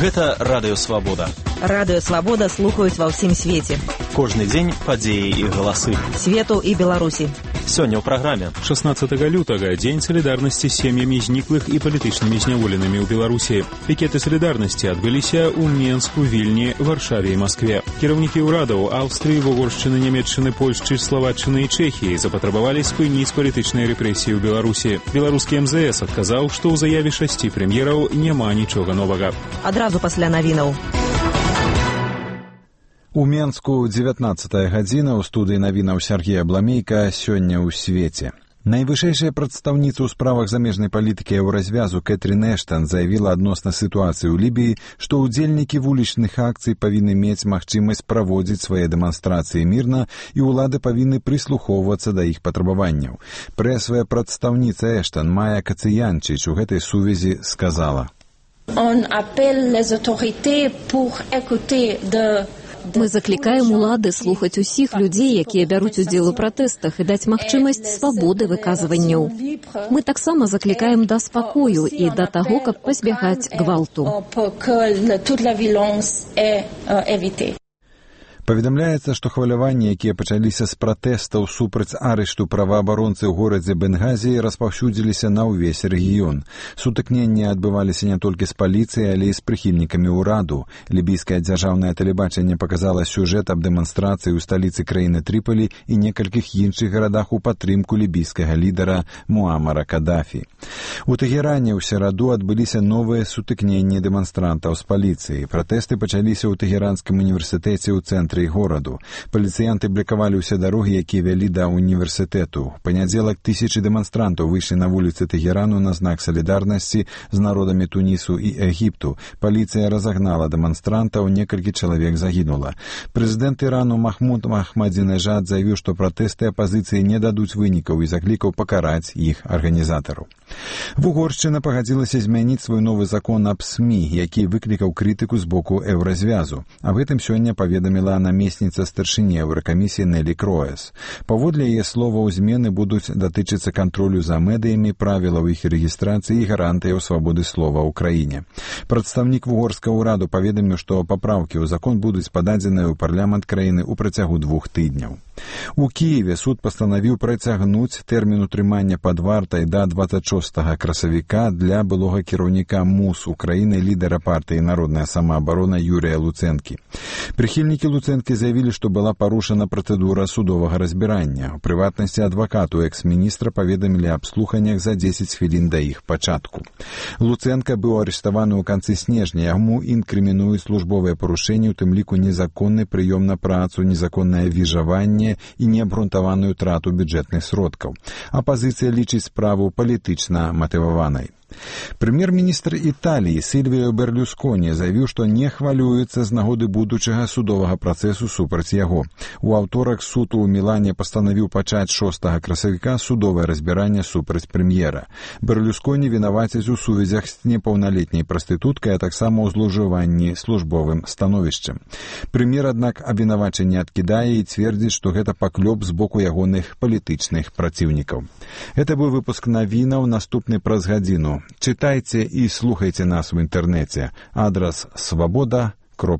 Гэта Радыё Свабода. Радыё Свабода слухаюць ва ўсім свеце. Кожны дзень падзеі і галасы. Свету і Беларусі. Сёння ў праграме. 16 лютага дзень салідарнасці з сем'ямі зніклых і палітычнымі зняволенымі ў Беларусі. Пікеты салідарнасці адбыліся ў Менску, Вільні, Варшаве і Маскве. Кіраўнікі ўрадаў Аўстрыі, Угоршчыны, Нямецчыны, Польшчы, Славаччыны і Чэхіі запатрабавалі спыніць палітычныя рэпрэсіі ў Беларусі. Беларускі МЗС адказаў, што ў заяве 6 прэм'ераў няма нічога новага. Адразу пасля навінаў. У Менску 19 гадзіна, у студыі навінаў Сергей Абламейка, сёння ў свеце. Найвышэйшая прадстаўніца ў справах замежнай палітыкі Еўразвязу Кэтрін Эштан заявіла адносна сітуацыі ў Лібіі, што ўдзельнікі вулічных акцый павінны мець магчымасць праводзіць свае дэманстрацыі мірна і ўлады павінны прыслухоўвацца да іх патрабаванняў. Прэсавая прадстаўніца Эштан Майя Кацыянчыч у гэтай сувязі сказала: Мы заклікаем улады слухаць усіх людзей, якія бяруць удзел у пратэстах, і даць магчымасць свабоды выказванняў. Мы таксама заклікаем да спакою і да таго, каб пазбягаць гвалту. Паведамляецца, што хваляванні, якія пачаліся з пратэстаў супраць арышту праваабаронцы ў горадзе Бенгазі, распаўсюдзіліся на ўвесь рэгіён. Сутыкненні адбываліся не толькі з паліцыяй, але і з прыхільнікамі ўраду. Лібійскае дзяржаўнае тэлебачанне паказала сюжэт аб дэманстрацыі ў сталіцы краіны Трыполі і некалькіх іншых гарадах у падтрымку лібійскага лідара Муамара Кадафі. У Тэгеране ў сераду адбыліся новыя сутыкненні дэманстрантаў з паліцыяй. Пратэсты пачаліся ў Тэгеранскім універсітэце ў цэнтры гораду. Паліцыянты блакавалі ўсе дарогі, якія вялі да універсітэту. У панядзелак тысячы дэманстрантаў выйшлі на вуліцы Тэгерану на знак салідарнасці з народамі Тунісу і Егіпту. Паліцыя разагнала дэманстрантаў, некалькі чалавек загінула. Прэзідэнт Ірану Махмуд Ахмадзінежад заявіў, што пратэсты апазіцыі не дадуць вынікаў і заклікаў пакараць іх арганізатараў. Угоршчына пагадзілася змяніць свой новы закон аб СМІ, які выклікаў крытыку з боку Еўразвязу. Аб гэтым сёння паведаміла намесніца старшыні Еўракамісіі Нелі Кроес. Паводле яе словаў, змены будуць датычыцца кантролю за медыямі, правілаў іх рэгістрацыі і гарантыяў свабоды слова ў краіне. Прадстаўнік угорскага ўраду паведаміў, што папраўкі ў закон будуць пададзеныя ў парламент краіны ў працягу 2 тыдняў. У Кіеве суд пастанавіў працягнуць тэрмін утрымання пад вартай да 26 красавіка для былога кіраўніка МУС Украіны, лідара партыі «Народная самаабарона» Юрія Луцэнкі. Прыхільнікі Луцэнкі заявілі, што была парушана працэдура судовага разбірання. У прыватнасці адвакату экс-міністра паведамілі аб слуханнях за 10 хвілін да іх пачатку. Луцэнка быў арыштаваны ў канцы снежня. Яму інкрымінуюць службовыя парушэнні, у тым ліку незаконны прыём на працу, незаконнае віжаванне і неабгрунтаваную трату бюджэтных сродкаў. Апазіцыя лічыць справу палітычна матываванай. Прэм'ер-міністр Італіі Сільвіо Берлюсконі заявіў, што не хвалюецца з нагоды будучага судовага працэсу супраць яго. У аўторак суд у Мілане пастанавіў пачаць 6 красавіка судовае разбіранне супраць прэм'ера. Берлюсконі вінавацяць у сувязях з непаўналетняй прастытуткай, а таксама ў злоўжыванні службовым становішчам. Прэм'ер, аднак, абвінавачанне адкідае і цвердзіць, што гэта паклёп з боку ягоных палітычных праціўнікаў. Гэта быў выпуск навінаў, наступны праз гадзіну. Читайте и слухайте нас в интернете. Адрес свобода.ру